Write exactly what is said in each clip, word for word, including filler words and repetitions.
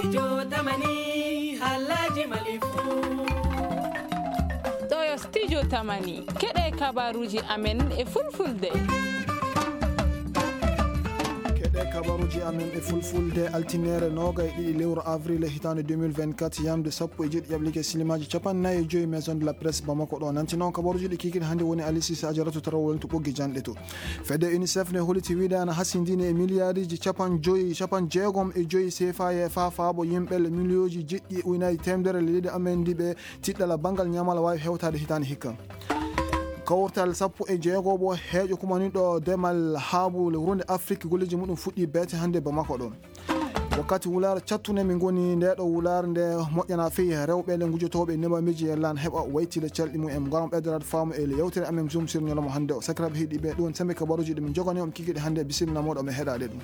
Studio Tamani, haalaaji Mali fuu. Ɗo yo Studio Tamani. Keɗe kabaruuji amen e fulfulde. Keɗe kabaruuji amen e fulfulde, altineere noogay e ɗiɗi lewru avril hitaande deux mille vingt-quatre, yamde sappo e jeeɗiɗi ƴaɓliike silimaaji capanɗe nayi e joy, Maison de la Presse Bamako ɗo. Nanti noon kabaruuji ɗi kiikiiɗe hannde woni Aliou Cissé Ajaratu Tarawol to ɓoggi janɗe to. Fedde UNICEF ne holliti wiide ana hasindini e miliyaariiji capanɗe joy, capanɗe jeegom e joy C F A e fa faabo yimɓe le miliyooji jeeɗiɗi ujunaaji teemedere le leydi amen ndi ɓe tiɗɗala banngal ñaamal waawi hewtaade hitaande hikka. Kawtal sappo e jeego bo heeƴo kumaniɗo demal haabu le wuronde Afrik golleeji muɗum fuɗɗi beete hannde Bamako ɗo. Wakkati wulaare cattune min ngoni, nde ɗo wulaare nde moƴƴana fii rewɓe le ngujotooɓe neema miji e lan heɓa waytile calɗi mum en. Ngaram ɓeydorade faamu e le yewtere amen Zoom sur ñalawma hannde o. Sakiraaɓe heɗiiɓe, ɗum sembe kabaruuji ɗi min jogani on kiikiiɗe hannde, bisimilla mooɗon, ɓe heɗaade ɗum.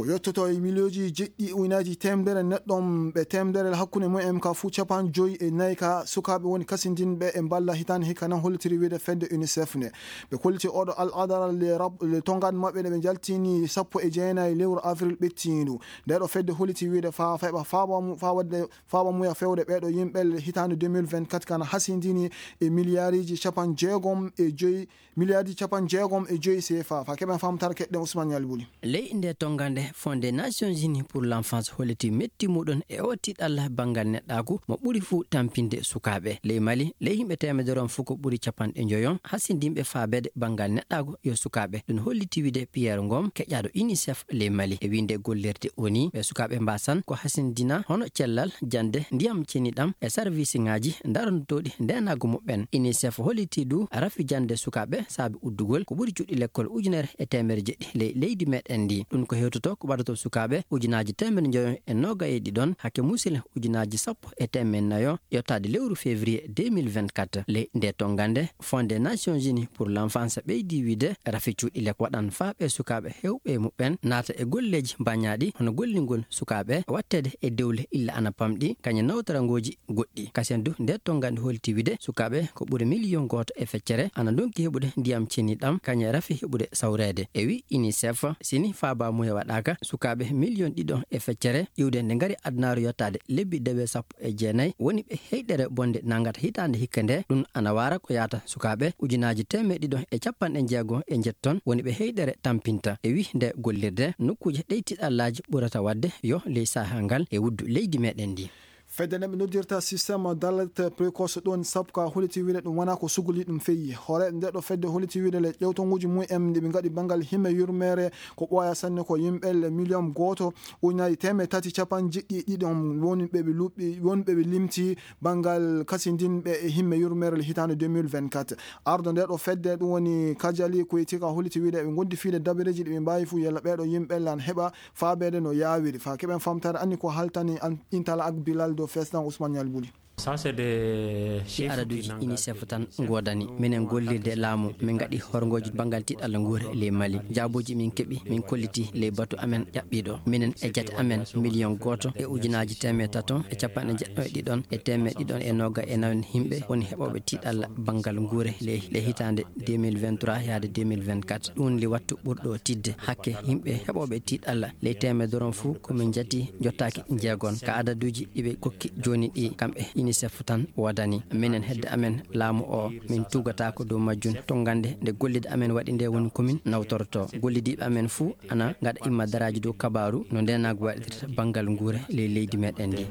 Ko yottoto e miliyooji jeeɗiɗi ujunaaji teemedere neɗɗo ɓe teemedere hakkunde mum en ka fuu capanɗe joy e nayi ka sukaaɓe woni kasindinɓe e mballa hitaande hikka nan hollitiri wiide fedde UNICEF ne. Ɓe kolliti oɗo al adara le rab-, le tongan maɓɓe nde ɓe jaltini sappo e jeenayi lewru avril ɓettiindu. Nde ɗo fedde holliti wiide fa, fa heɓa faaba mu-, fa wadde faaba muya fewde ɓeeɗo yimɓe le hitaande deux mille vingt-quatre kana hasindini e miliyaariiji capanɗe jeegom e joy, miliyaariiji capanɗe jeegom e joy C F A. Fa keɓen famtara keɗɗen Ousmane Yalbuli. Ley nde tongande Fonds des Nations Unies pour l'Enfance holliti metti muɗum e o tiɗalla banngal neɗɗaaku mo ɓuri fuu tampinde sukaaɓe. Ley Mali, ley yimɓe teemedere on fuu ko ɓuri capanɗe njoyon hasindinɓe faabede banngal neɗɗaaku yo sukaaɓe. Ɗum holliti wiide Pierre Ngom, keƴaaɗo UNICEF ley Mali. E wiinde gollirde O N U, ɓe sukaaɓe mbaasan ko hasindina hono cellal, jannde, ndiyam ceniɗam e sarwisiŋaaji darantooɗi ndeenaagu muɓɓen. UNICEF holliti du rafi jannde sukaaɓe saabi uddugol ko ɓuri cuuɗi lekkol ujunere e teemedere jeeɗiɗi ley leydi meɗen ndi. Ɗum ko hewtoto ko ɓadoto sukaaɓe ujunaaji teemedere njoyo e noogay e ɗiɗon hakke muusile ujunaaji sappo e teemedere nayo yottaade lewru février deux mille vingt-quatre. Ley nde tongande, Fonds des Nations Unies pour l'Enfance ɓeydi wiide rafi cuuɗi lek waɗan faa ɓe sukaaɓe heewɓe e muɓɓen naata e golleeji bañaaɗi hono gollingol sukaaɓe, watteede e dewle illa ana pamɗi, kañe nawtorangooji goɗɗi. Kasen du, nde tongande holti wiide sukaaɓe ko ɓuri miliyon gooto e feccere ana ndonki heɓude ndiyam ceniɗam, kañe rafi heɓude sawreede. E wi UNICEF, sini faaba muya waɗaaka, sukaaɓe miliyon ɗiɗo e feccere iwde nde ngari adunaaru yottaade lebbi dewe sappo e jeenayi woni ɓe heyɗere bonde nangata hitaande hikka nde. Ɗum ana waara ko yaata sukaaɓe ujunaaji teemedde ɗiɗo e capanɗe jeego e njetton woni ɓe heyɗere tampinta. E wi nde gollirde nokkuuje ɗey tiɗallaaji ɓurata waɗde yo ley sahaa ngal e wuddu leydi meɗen ndi. Fedde nde ɓe noddirta système d'alerte précoce ɗon sappo ka holiti wiide ɗum wona ko suguli ɗum feyi. Hoore nde ɗo fedde holiti wiide le ƴewtonguuji mum en ɗi ɓe ngaɗi banngal himme yurmeere ko ɓooya sanne ko yimɓe le miliyon gooto ujunaaji teemedde tati capanɗe jeeɗiɗi e ɗiɗi on woni ɓe ɓe luɓɓi, woni ɓe ɓe limti banngal kasindinɓe e himme yurmeere le hitaande deux mille vingt-quatre. Ardo nde ɗo fedde ɗum woni Kajali Koytika holiti wiide ɓe ngondi fiide dabareeji ɗi ɓe mbaawi fuu yalla ɓeeɗo yimɓe lan heɓa faabeede no yaawiri. Fa keɓen famtaare anni ko haltani an Intala ak Bilal dow Fesɗan Ousmane Ñalbuli. Ça, c'est des chiffres qui n'engagent que UNICEF tan ngoodani. Minen gollirde laamu, min ngaɗi horngooji banngal tiɗalla nguure ley Mali. Jaabuuji min keɓi, min kolliti ley batu amen ƴaɓɓiiɗo. Minen e jate amen miliyon gooto e ujunaaji teemedde tato e capanɗe jeɗɗo e ɗiɗon e teemedde ɗiɗon e nooga e nayon yimɓe woni heɓooɓe tiɗalla banngal nguure ley, ley hitaande deux mille vingt-trois yaade deux mille vingt-quatre. Ɗum li wattu ɓurɗo tidde. Hakke yimɓe heɓooɓe tiɗalla ley teemedere on fuu ko min njati jottaaki jeegon. Ka adaduuji ɗi ɓe kokki jooni ɗi, kamɓe UNICEF tan woodani. Minen hedde amen laamu o, min tuugataako dow majjum. Tongande nde gollide amen waɗi nde woni ko min nawtorto. Gollidiiɓe amen fuu ana ngaɗa imma daraaji dow kabaaru no ndeenaagu waɗirta banngal nguure ley leydi meɗen ndi.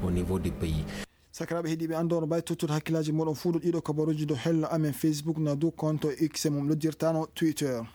Au niveau du pays. Sakiraaɓe heɗiiɓe, anndoono bay tottude hakkillaaji mooɗon fuu dow ɗiɗo kabaruuji dow hello amen Facebook na dow compte X mum noddirtaano Twitter.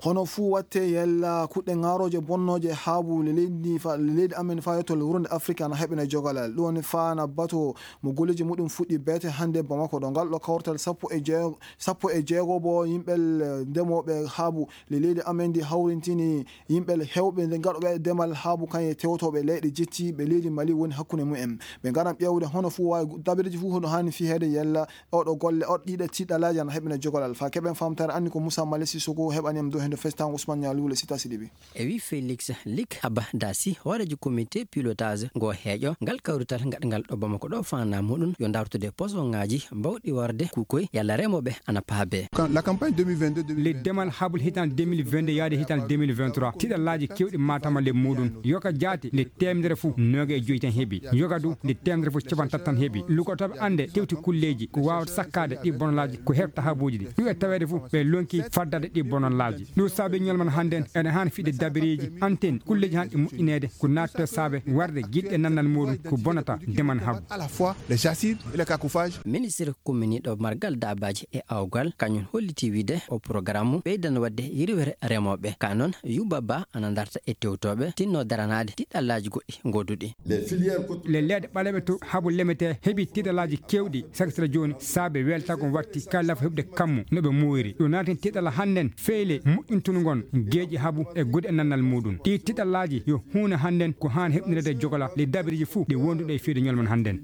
Hono fuu watte yalla kuɗɗe ŋaarooje bonnooje haabu le leydi fa-, le leydi amen faa yotto le wuronde Afrika na heɓene jogalal. Ɗum woni faa na bato mo golleeji muɗum fuɗɗi beete hannde Bamako ɗo. Ngal ɗo kawrital sappo e jeego, sappo e jeego bo yimɓe l-, ndemooɓe haabu le leydi amen ndi hawrintini yimɓe le hewɓe nde gaɗooɓe demal haabu kañe tewtooɓe leyɗe jettiiɓe leydi Mali woni hakkunde mum en. Ɓe ngaran ƴeewde hono fuu waawi dabareeji fuu hono haani fiyeede yalla oɗo golle, oɗo ɗiɗo tiɗalaaji ana heɓene jogalal. Faa keɓen famtaare anni ko Moussa Mali Sissoko heɓani en dow heen. Festan Ousmane Nialou, le sita Sidibi. E wi Félix Lik Abadasi, hooreejo comité pilotage ngo heeƴo ngal kawrital ngaɗngal ɗo Bamako ɗo, fana muɗum yo dartude posoŋaaji mbawɗi warde kukoy yalla remooɓe ana paabe. Quand la campagne deux mille vingt-deux, deux mille vingt-trois, le demal habul hitan deux mille vingt-deux yaade hitan deux mille vingt-trois, tiɗallaaji kewɗi matama le muɗum. Yoga jaati nde teemedere fof nooga e joyi tan heɓi. Yoga du nde teemedere fof capanɗe tati tan heɓi. Lugotooɓe annde tewti kulleeji ko waawata sakkaade ɗi bonolaaji ko heɓta habuuji ɗi. Ɗum e taweede fof ɓe lonki faddade ɗi bonolaaji. Ɗum saabi ñolman hannden ene haani fiɗde dabireeji, antenne, kulleeji haani ɗi moƴƴineede ko naatde saabe warde giɗɗe nannal muɗum ko bonata deman habu. À la fois les assises et les cacophages. Ministre kumminiiɗo margal daabaaji e awgal, kañum holliti wiide o programme ɓeydan waɗde yirwere remooɓe. Ka noon, Yuba Ba ana darta e tewtooɓe tinno daranaade tiɗɗallaaji goɗɗi ngoduɗi. Les filières cot- Le leeɗe ɓaleeɓe to habu lemete heɓi tiɗɗallaaji kewɗi, sakital jooni saabe weltago watti kala nafa heɓde kammu no ɓe muuyri. Ɗum naati tiɗɗalla hannden feyle moƴƴintungon geeƴi habu e gude e nannal muɗum. Ɗi tiɗɗallaaji yo huune hannden ko haan heɓnirede jogola le dabireeji fuu ɗi wonduɗe e fiyde ñolman hannden.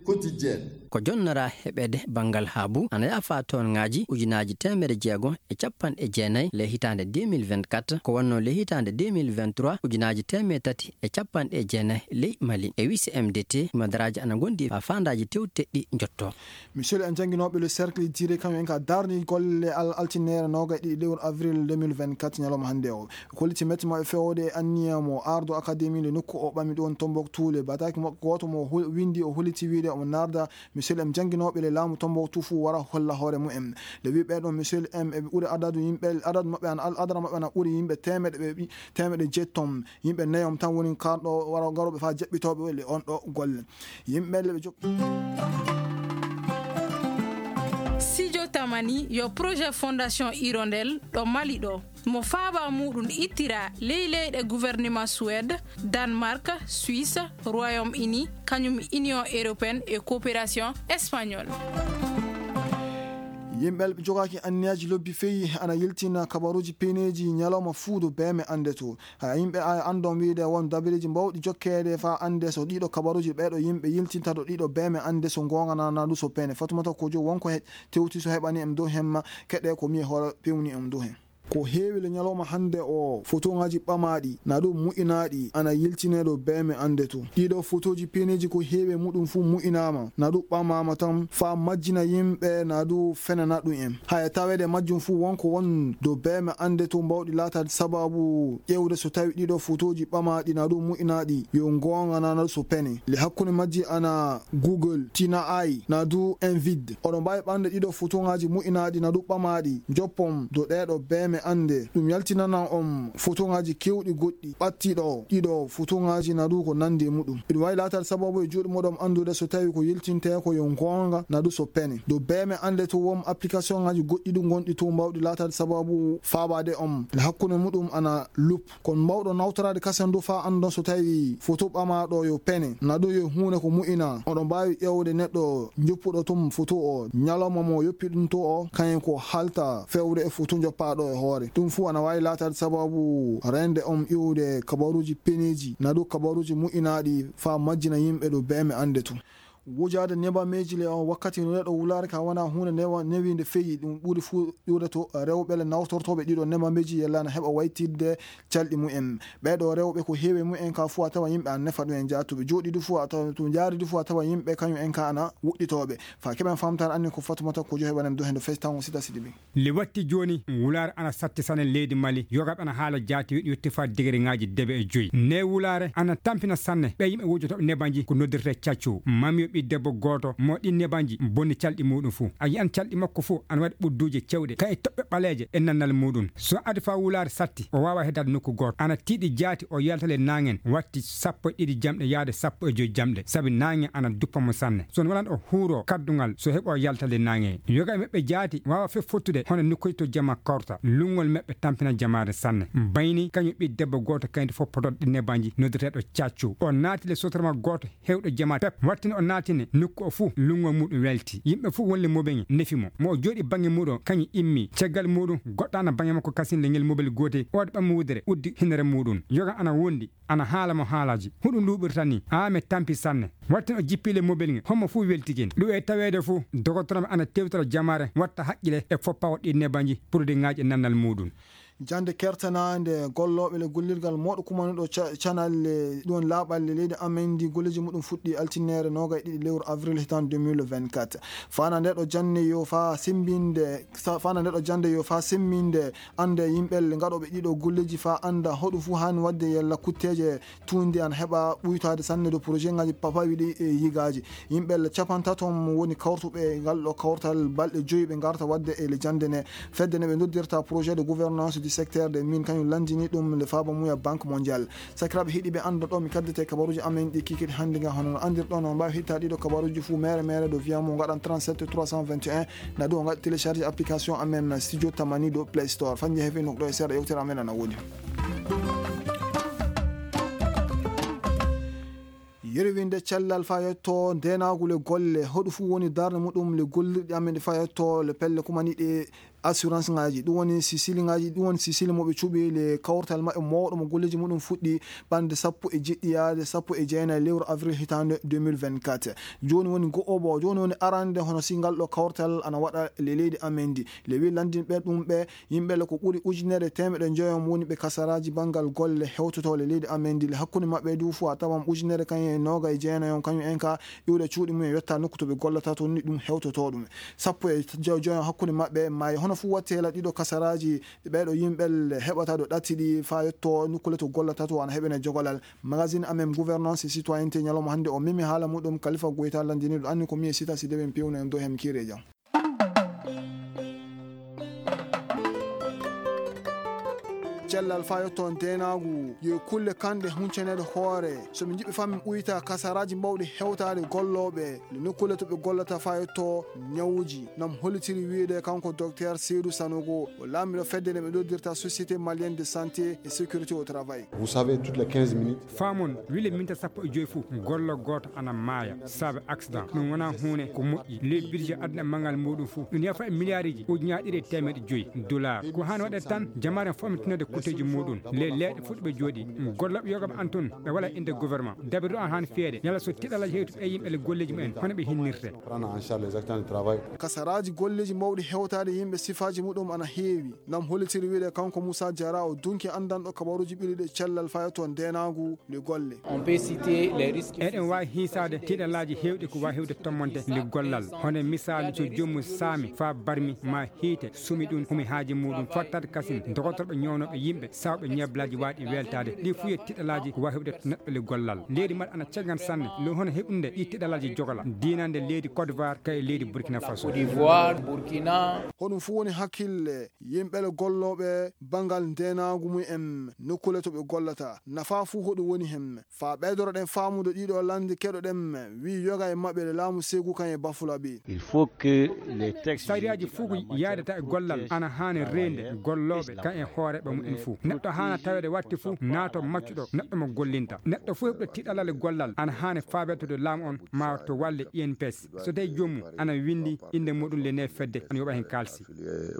Quotidienne. Ko jonnora heɓeede banngal habu ana yaafa toonŋaaji ujunaaji teemedere jeego e capanɗe jeenayi le hitaande deux mille vingt-quatre, ko wonno le hitaande deux mille vingt-trois ujunaaji teemedere tati e capanɗe jeenayi ley Mali. E wi C M D T, madaraaji ana ngondi faa faandaaji tewteɗɗi njotto. Monsieur en jannginooɓe le cercle diré kañum en ka darni golle al-, altinere noogaye ɗiɗi lewru avril deux mille vingt-quatre, ñalawma hannde o. Ko holliti mette maɓɓe fewde e anniya mo ardo académie le nokku o ɓami ɗon Tombouctou le bataki makko gooto mo hol-, windi o holliti wiide omo narda Michel M jannginooɓe le laamu Tombouctou fuu wara holla hoore mumen. Nde wi ɓee ɗon Michel M eɓe ɓuri adadu yimɓe, adadu maɓɓe ana, al-, adadu maɓɓe ana ɓuri yimɓe teemeɗe, ɓe ɓi-, teemeɗe jeettom. Yimɓe neyom tan woni karɗo wara garooɓe faa jaɓɓitooɓe le on ɗo golle. Yimɓe le ɓe jok- Sijo Tamani yo projet Fondation Hirondelle ɗo Mali ɗo. Mo faaba muɗum ittira ley leyɗe gouvernement Suède, Danemark, Suisse, Royaume-Uni, kañum Union Européenne e Coopération Espagnole. Yimɓe ɓe jogaaki anniyaaji lobbi feyi ana yiltina kabaruuji peneeji ñalawma fuu dow beeme annde to. Haya yimɓe ay anndon wiide won dabireeji mbawɗi jokkeede faa annde so ɗiɗo kabaruuji ɓeeɗo yimɓe yiltinta dow ɗiɗo beeme annde so ngoonga naa du so pene. Fatumata Kojo wonko he-, tewti so heɓani em dow hemma keɗe ko mi hoore pewni em dow hen. Ko heewi le ñalawma hannde o, fotooŋaaji ɓamaaɗi, na ɗum mu'inaaɗi, ana yiltinee ɗo beeme annde to. Ɗiɗo fotooji peeneeji ko heewi e muɗum fuu mu'inaama, na ɗum ɓamaama tan, faa majjina yimɓe, na ɗum fenana ɗum en. Haya taweede majjum fuu wonko won dow beeme annde to mbawɗi laataade sabaabu ƴeewde so tawi ɗiɗo fotooji ɓamaaɗi, na ɗum mu'inaaɗi, yo ngoonga na so pene. Le hakkunde majji ana Google, Tina Ai, na du Envid. Oɗon mbaawi ɓamde ɗiɗo fotooŋaaji mu'inaaɗi na du ɓamaaɗi, njoppon do ɗeeɗo beeme annde. Ɗum yaltinanan on fotooŋaaji keewɗi goɗɗi ɓattiiɗo ɗiɗo fotooŋaaji na du ko nanndi e muɗum. Iɗum waawi laataade sababu e juuɗe moɗon anndude so tawi ko yiltintee ko yo ngoonga na du so pene. Do beeme annde to won applicationŋaaji goɗɗi du ngonɗi to mbawɗi laataade sababu faabaade on. Le hakkunde muɗum ana Loop. Kono mbawɗo nawtoraade kasen du faa anndon so tawi foto ɓamaaɗo yo pene, na ɗum yo huunde ko mu'ina. Oɗon mbaawi ƴeewde neɗɗo njoppuɗo tun foto o, ñalawma mo yoppi ɗum to o, kañum ko halta fewre e foto njoppaaɗo e hoore. Ɗum fuu ana waawi laataade sababu reende on iwde kabaruuji peneeji, na ɗum kabaruuji mu'inaaɗi faa majjina yimɓe ɗo beeme annde tun. Wujaade nebameeji le on wakkati no neɗɗo wulaare ka wona huunde newa-, newiinde feyi, ɗum ɓuri fuu ƴuurde to rewɓe le nawtortooɓe ɗiɗo nebameeji yella na heɓa waytidde calɗi mumen. Ɓee ɗo rewɓe ko heewi mumen ka fuu a tawa yimɓe an nefa ɗum en jaatuɓe. Jooɗi du fuu a tawa to jaari du fuu a tawa yimɓe kañum en ka ana wuɗɗitooɓe. Faa keɓen famtaare anni ko Fatumata ko jo heɓanen do hendo fesi tan o sita siɗi ɓe. Le watti jooni, wulaare ana satti sanne leydi Mali. Yogaaɓe ana haala jaati weɗi yotti faa digiriŋaaji debe e joyi. Nde wulaare ana tampina sanne ɓe yimɓe wujotooɓe nebanji ko noddirtee caccu. Mamiyo ɓii debbo gooto mo ɗin nebanji bonni calɗi muɗum fuu. A yi'an calɗi makko fuu ana waɗi ɓudduuje cewɗe, ka'i toɓɓe ɓaleeje e nannal muɗum. So adi faa wulaare satti, o waawaa heddaade nokku gooto. Ana tiiɗi jaati o yalta le naangen watti sappo e ɗiɗi jamɗe yaade sappo e joyi jamɗe, sabi naange ana duppa mo sanne. So on walan o huuroo kaddungal, so heɓoo yaltande naange. Yoga e maɓɓe jaati waawa fof fottude hono nokkuuji to jama korta. Luŋŋol maɓɓe tampina jamaare sanne. Bayni kañum ɓii debbo gooto kayndi fof podoɗo ɗi nebanji noddirteeɗo Caccu. O naati le sotrama gooto heewɗo jamaare pep. Wattini o naatini nokku o fuu luŋŋol muɗum welti. Yimɓe fuu wonle mobeŋe nefi mo. Mo o jooɗi baŋŋe muɗum kañum immi. Caggal muɗum goɗɗo ana baŋŋe makko kasin le ngel mobel gootel. O waɗi ɓammo wudere uddi hinere muɗum. Yoga ana wondi. Ana haala mo haalaaji. Huɗum luuɓirta ni. Aa, mi tampi sanne. Watten o jippi le mobel nge. Hommo fuu weltigen. Ɗum e taweede fuu, dogotoro ana tewtora jamaare, watta haqqile e foppawo ɗi nebanji, produitŋaaji e nannal muɗum. Jannde kertanaande gollooɓe le gollirgal mawɗo kumanuɗo ca- canalle ɗon laaɓalle leydi amen ndi golleeji muɗum fuɗɗi altinneere noogay ɗiɗi lewru avril hitan deux mille vingt-quatre. Fana nde ɗo jannde yo fa simbinde sa- fana nde ɗo jannde yo fa simbinde annde yimɓe le ngaɗooɓe ɗiɗo golleeji fa annda hoɗum fuu haani waɗde yalla kutteeje tuundi an heɓa ɓuytaade sanne do projet ngaji papawi ɗi e yigaaji. Yimɓe le capantato mo woni kawrutuɓe e ngal ɗo kawtal balɗe joyi ɓe ngarta waɗde e le jannde ne. Fedde ne ɓe noddirta projet de gouvernance du secteur de min kañum lanndini ɗum le faaba muya Banque Mondiale. Sakiraaɓe heɗiiɓe annda ɗo mi kaddete kabaruuji amen ɗi kikiti hannde nga hono no anndirɗon on mbaawi hitta ɗiɗo kabaruuji fuu mere mere do wiya mo ngaɗan trente-sept trois cent vingt et un na ɗo ngaɗa télécharge application amen Studio Tamani do Play Store. Fanje hefe nokɗo e seeɗa yewtere amen ana woni. Yerwinde cellal fa yetto ndenaagu le golle hoɗum fuu woni darnde muɗum le gollirɗi amen ɗi fa yetto le pelle kumaniɗe assurance ngaji ɗum woni sisili ngaji ɗum woni sisili mo ɓe cuɓi le kawtal maɓɓe mawɗo mo golleji muɗum fuɗɗi ɓande sappo e jeɗɗi yaade sappo e jeenayi lewru avril hitande deux mille vingt-quatre. Joni woni go'obo joni woni arande hono si ngal ɗo kawtal ana waɗa le leydi amen ndi le wi landinɓe ɗum ɓe yimɓe le ko ɓuri ujunere temeɗe joyom woni ɓe kasaraji bangal golle hewtotoɗe leydi amen ndi le hakkunde maɓɓe du fo a tawan ujunere kañum e noga e jeenayon kañum en ka iwde cuuɗi mum e yetta nokku to ɓe gollata to ni ɗum hewtoto ɗum sappo e joyo joyo hakkunde maɓɓe maayi hono fuu wattela ɗiɗo kasaraji ɓeɗo yimɓe heɓata ɗo ɗatti ɗi fa yetto nukkule to gollata to ana heɓene jogolal. Magazine amen gouvernance e citoyenneté ñalawma hannde o memi haala muɗum kalifa goyta landiniɗo anni ko mi e sita si deɓen pewno en do hem kiire jam. Cellal fa yetto ndeenaagu yo kulle kanɗe huncaneede hoore so min njiɗɓe fa min ɓuyta kasaraaji mawɗi hewtaade gollooɓe nde nokkuule to ɓe gollata fa yetto ñawuuji nam hollitiri wiyde kanko docteur Seydou Sanogo o laamiɗo fedde nde ɓe noddirta société malienne de santé et sécurité au travail. Vous savez, toutes les quinze minutes. Faamon wile minta sappo e joyi fof gollo gooto ana maaya saabe accident ɗum wonaa huunde ko moƴƴi ley budget aduna e manngal muɗum fof ɗum yafa e milliards uji ujunaaji ɗiɗi e teemeɗe joyi dollars ko haan waɗe tan jamaare fof mi tinode kutteeji muɗum ley leeɗe fof ɗo ɓe jooɗi gollooɓe yogaɓe an toon ɓe wala inde gouvernement dabirɗo an haan feere yala so tiɗalal hewti ɓe yimɓe le golleeji mumen hono ɓe hinnirte. Prendre en charge les accidents de travail. Kasaraaji golleeji mawɗi hewtaade yimɓe sifaaji muɗum ana heewi nam hollitiri wiyde kanko Moussa Diarra o dunki anndanɗo kabaruuji ɓiluɗe cellal fayo to ndeenaagu le golle. On peut citer les risques. Eɗen waawi hiisaade tiɗalaaji heewɗi ko waawi heewde tommonde le gollal hono misaalu so joomum saami faa barmi ma hiite sumi ɗum humi haaji muɗum fottaade kasin dogotorɓe ñoownooɓe yimɓe sawɓe ñeblaaji waaɗi weltaade ɗi fuu yo tiɗalaaji ko waawi heɓde neɗɗo le gollal leydi maɗa ana caggan sanne le hono heɓunde ɗi tiɗalaaji jogola diinande leydi Côte d'Ivoire kay leydi Burkina Faso. Côte d'Ivoire, Burkina. Hoɗum fuu woni hakkille yimɓe le gollooɓe banngal ndeenaagu mum en nokkule to ɓe gollata nafa fuu hoɗum woni heen faa ɓeydoroɗen faamude ɗiɗo lannde keɗoɗen wi yoga e maɓɓe le laamu seegu kan e bafulaɓe. Il faut que les textes sariyaaji fof ko yaadata e gollal ana haani reende gollooɓe kan e hooreeɓe mumen fof neɗɗo haana taweede watti fof naato maccuɗo neɗɗo mo gollinta neɗɗo fof heɓɗo tiɗalal e gollal ana haani faabeede to laamu on ma to walle I N P S so tawi joomum ana winndi innde muɗum le ne fedde ana yoɓa heen kaalisi.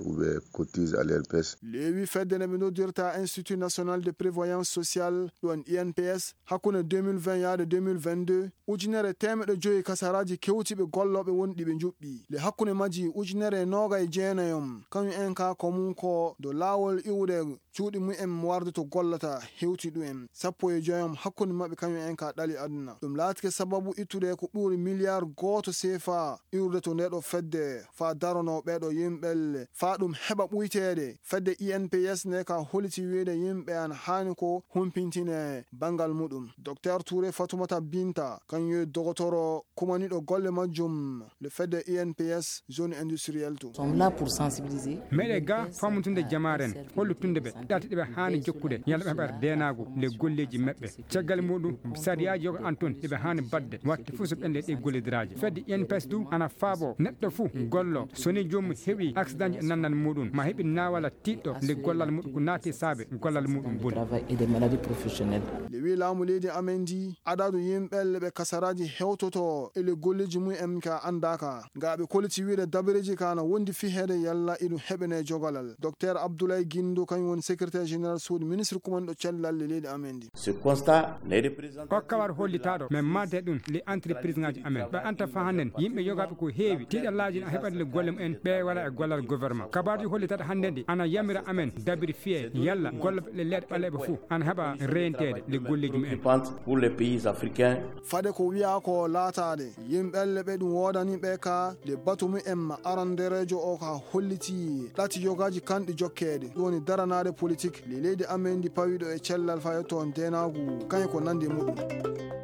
Ou bien cotise à l'I N P S. Leewi fedde nde ɓe noddirta Institut National de Prévoyance Sociale ɗon I N P S hakkunde deux mille vingt yaade deux mille vingt-deux ujunere teemeɗɗe joyi kasaraaji kewtiiɓe gollooɓe wonɗi ɓe njuɓɓi le hakkunde majji ujunere e nooga e jeenayom kañum en ka ko mum ko do laawol iwde cuuɗi mumen warde to gollata hewti ɗum en sappo e joyom hakkunde maɓɓe kañum en ka ɗali aduna ɗum laatike sababu ittude ko ɓuri miliyar gooto seefa iwrude to ndeɗo fedde faa darono ɓeɗo yimɓelle faa ɗum heɓa ɓuyteede fedde I N P S nde ka holiti wiyde yimɓe an haani ko humpintine banngal muɗum. Docteur Touré Fatoumata Binta kañum yo dogotoro kumaniɗo golle majjum le fedde I N P S zone industrielle to. Sommes là pour sensibiliser. Meɗe ga famutude jamaaren hollutunde ɓe ɗati ɗeɓe haani jokkude yalla ɓe heɓata deenaagu le golleeji maɓɓe caggal muɗum sariyaaji yoga an toon eɓe haani baɗde watte fof so ɓenle ɗe gollidiraaji fedde I N P S du ana faabo neɗɗo fof gollo so ni joomum heɓi accident e nannal muɗum ma heɓi naawala tiɗɗo nde gollal muɗum ko naati saabe gollal muɗum boni. Travail et des maladies professionnelles. Nde wi laamu leydi amen ndi adadu yimɓelle ɓe kasaraaji hewtoto e le golleeji mum en ka anndaaka nga ɓe koliti wiide dabareeji ka na wondi fiheede yalla iɗum heɓene jogalal docteur Abdoulaye Guindo kañum woni Secrétaire général suudu ministre kumanɗo cellal e leydi amen ndi. Ce constat n'est représenté. O kawar hollitaaɗo men maande ɗum le entreprise ngaji amen ɓe anta fa hannden yimɓe yogaaɓe ko heewi tiiɗallaaji na heɓat le golle mumen ɓe wala e gollal gouvernement. Kabaaji hollitaaɗo hannden ɗi ana yamira amen dabiri fiye yalla golle le leeɗe ɓaleeɓe fof ana heɓa reyenteede le golleji mumen. Pour les pays africains. Fade ko wiya ko laataade yimɓelle ɓe ɗum woodani ɓe ka le batu mumen ma arandereejo o ka holliti ɗati yogaaji kanɗi jokkeede ɗum woni daranaade politique le leydi amen ndi pawiɗo e cellal fa yetto ndeenaagu kañum ko nandi e muɗum.